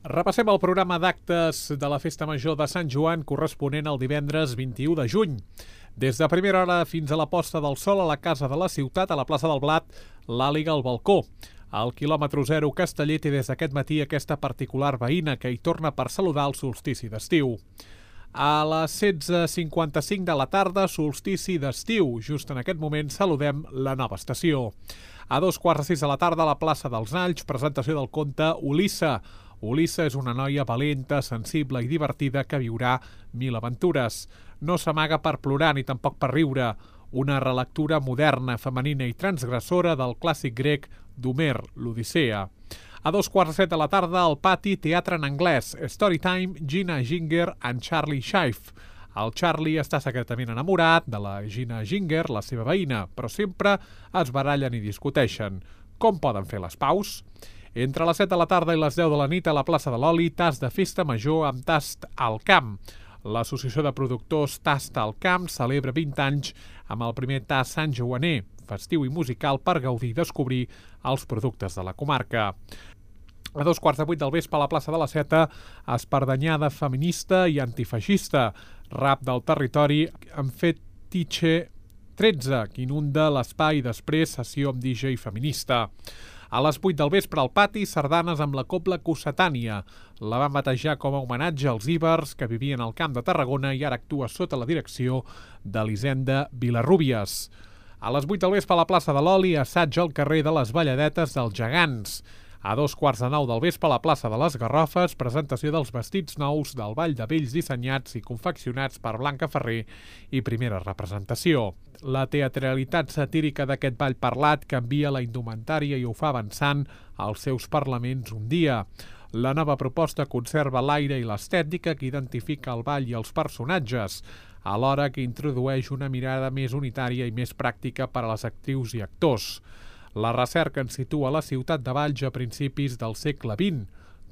Repassem el programa d'actes de la Festa Major de Sant Joan corresponent al divendres 21 de juny. Des de primera hora fins a la posta del sol a la Casa de la Ciutat, a la plaça del Blat, l'Àliga al balcó. Al quilòmetre 0 Casteller té des d'aquest matí aquesta particular veïna que hi torna per saludar el solstici d'estiu. A les 16:55 de la tarda, solstici d'estiu. Just en aquest moment saludem la nova estació. A 5:45 de la tarda, a la plaça dels Alls, presentació del conte Ulissa. Ulissa és una noia valenta, sensible i divertida que viurà 1000 aventures. No s'amaga per plorar ni tampoc per riure. Una relectura moderna, femenina i transgressora del clàssic grec d'Homer, l'Odissea. A 6:45 de la tarda, al pati, teatre en anglès, Storytime, Gina Ginger and Charlie Schiff. El Charlie està secretament enamorat de la Gina Ginger, la seva veïna, però sempre es barallen i discuteixen. Com poden fer les paus? Entre les 7 de la tarda i les 10 de la nit a la plaça de l'Oli, tast de festa major amb tast al camp. L'Associació de Productors Tast al Camp celebra 20 anys amb el primer tast santjoaner, festiu i musical per gaudir i descobrir els productes de la comarca. A 7:15 del vespre a la plaça de la Seta, espardanyada feminista i antifeixista, rap del territori amb Fetiche 13, que inunda l'espai i després sessió amb DJ feminista. A les 8 del vespre al pati, sardanes amb la Cobla Cossetània. La van batejar com a homenatge als íbers que vivien al Camp de Tarragona i ara actua sota la direcció d'Elisenda Vilarrúbies. A les 8 del vespre a la plaça de l'Oli, assaig al carrer de les Balladetes dels Gegants. A 9:15 del vespre a la plaça de les Garrofes, presentació dels vestits nous del Ball de Vells dissenyats i confeccionats per Blanca Ferrer i primera representació. La teatralitat satírica d'aquest ball parlat canvia la indumentària i ho fa avançant als seus parlaments un dia. La nova proposta conserva l'aire i l'estètica que identifica el ball i els personatges, alhora que introdueix una mirada més unitària i més pràctica per a les actrius i actors. La recerca ens situa a la ciutat de Valls a principis del segle XX.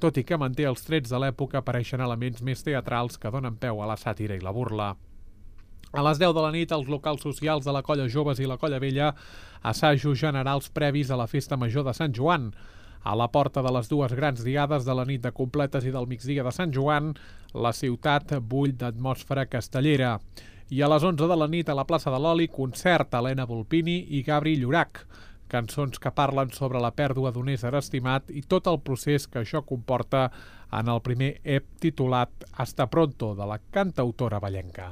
Tot i que manté els trets de l'època, apareixen elements més teatrals que donen peu a la sàtira i la burla. A les 10 de la nit, els locals socials de la Colla Joves i la Colla Vella, assajos generals previs a la Festa Major de Sant Joan. A la porta de les dues grans diades de la nit de completes i del migdia de Sant Joan, la ciutat bull d'atmosfera castellera. I a les 11 de la nit, a la plaça de l'Oli, concert Helena Volpini i Gabri Llorach. Cançons que parlen sobre la pèrdua d'un ésser estimat i tot el procés que això comporta en el primer EP titulat Hasta pronto, de la cantautora vallenca.